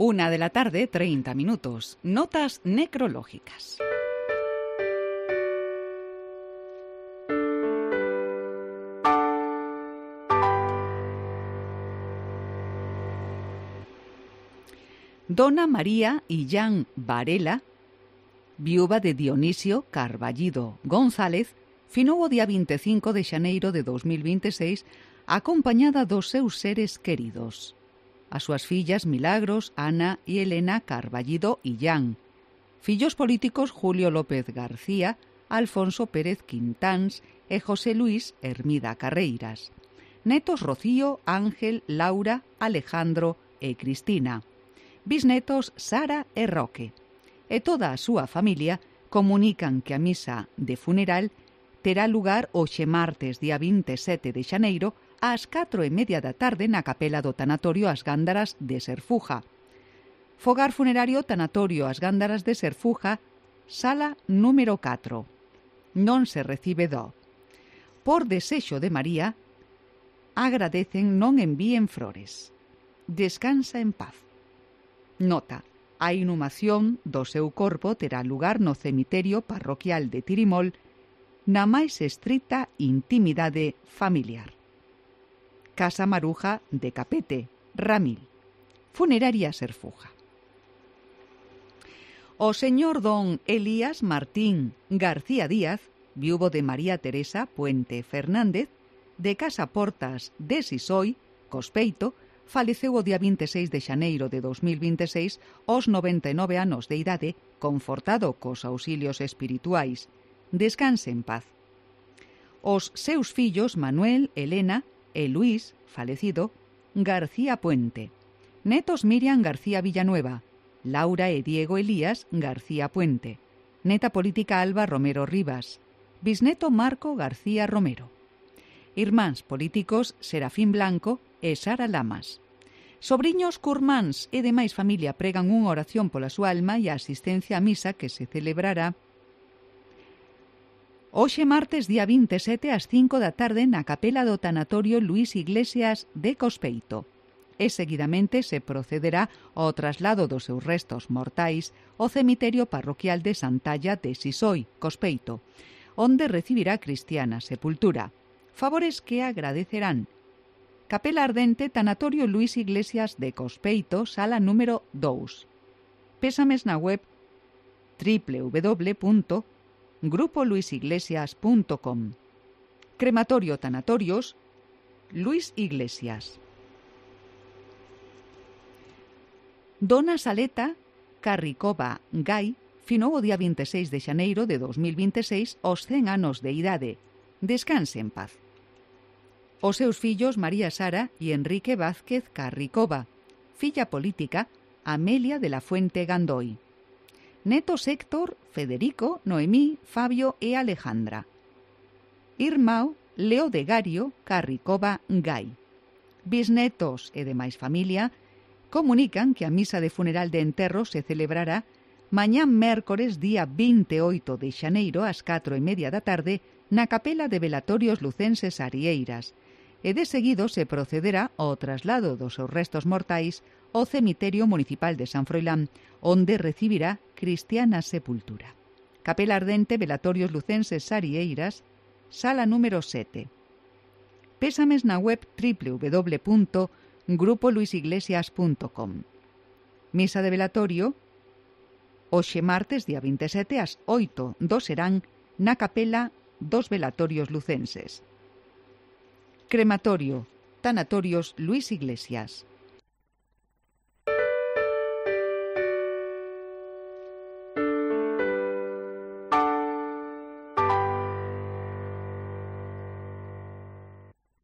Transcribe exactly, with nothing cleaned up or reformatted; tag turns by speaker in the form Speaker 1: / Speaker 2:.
Speaker 1: Una de la tarde, treinta minutos. Notas necrológicas. Dona María Illán Varela, viúva de Dionisio Carballido González, finou o día vinte e cinco de xaneiro de dos mil vinte e seis acompañada dos seus seres queridos. As súas fillas Milagros, Ana e Elena Carballido Illán. Fillos políticos Julio López García, Alfonso Pérez Quintáns e José Luis Hermida Carreiras. Netos Rocío, Ángel, Laura, Alejandro e Cristina. Bisnetos Sara e Roque. E toda a súa familia comunican que a misa de funeral terá lugar hoxe martes, día vinte e sete de xaneiro, ás catro e media da tarde na capela do Tanatorio As Gándaras de Serfuja. Fogar funerario Tanatorio As Gándaras de Serfuja, sala número catro. Non se recibe do. Por desexo de María, agradecen non envíen flores. Descansa en paz. Nota: a inhumación do seu corpo terá lugar no cemiterio parroquial de Tirimol, na máis estrita intimidade familiar. Casa Maruja de Capete, Ramil. Funeraria Serfuja. O señor don Elías Martín García Díaz, viúvo de María Teresa Puente Fernández, de Casa Portas de Sisoi, Cospeito, faleceu o día vinte e seis de xaneiro de dos mil vinte e seis aos noventa e nove anos de idade, confortado cos auxilios espirituais. Descanse en paz. Os seus fillos Manuel, Elena e Luís, falecido, García Puente. Netos Miriam García Villanueva, Laura e Diego Elías García Puente. Neta política Alba Romero Rivas. Bisneto Marco García Romero. Irmáns políticos Serafín Blanco e Sara Lamas. Sobriños curmáns e demais familia pregan unha oración pola súa alma e a asistencia á misa que se celebrará hoxe martes, día vinte e sete, ás cinco da tarde na capela do Tanatorio Luis Iglesias de Cospeito. E seguidamente se procederá ao traslado dos seus restos mortais ao cemiterio parroquial de Santalla de Sisoi, Cospeito, onde recibirá cristiana sepultura. Favores que agradecerán. Capela Ardente, Tanatorio Luis Iglesias de Cospeito, sala número dous. Pésames na web doble u doble u doble u punto grupo luis iglesias punto com. Crematorio Tanatorios Luis Iglesias. Dona Saleta Carricova Gai finou o día vinte e seis de xaneiro de dos mil vinte e seis aos cen anos de idade. Descanse en paz. Os seus fillos María Sara e Enrique Vázquez Carricova, filla política Amelia de la Fuente Gandoi. Netos Héctor, Federico, Noemí, Fabio e Alejandra. Irmão Leo de Gario Carricova Gai. Bisnetos e demais familia comunican que a misa de funeral de enterro se celebrará mañán mércores día vinte e oito de xaneiro ás catro e media da tarde na capela de Velatorios Lucenses Arieiras, e de seguido se procederá ao traslado dos seus restos mortais ao cemiterio municipal de San Froilán, onde recibirá cristiana sepultura. Capela Ardente, Velatorios Lucenses Arieiras, sala número sete. Pésames na web doble u doble u doble u punto grupo luis iglesias punto com. Misa de velatorio hoxe martes, día vinte e sete, ás oito do serán na capela dos Velatorios Lucenses. Crematorio Tanatorios Luis Iglesias.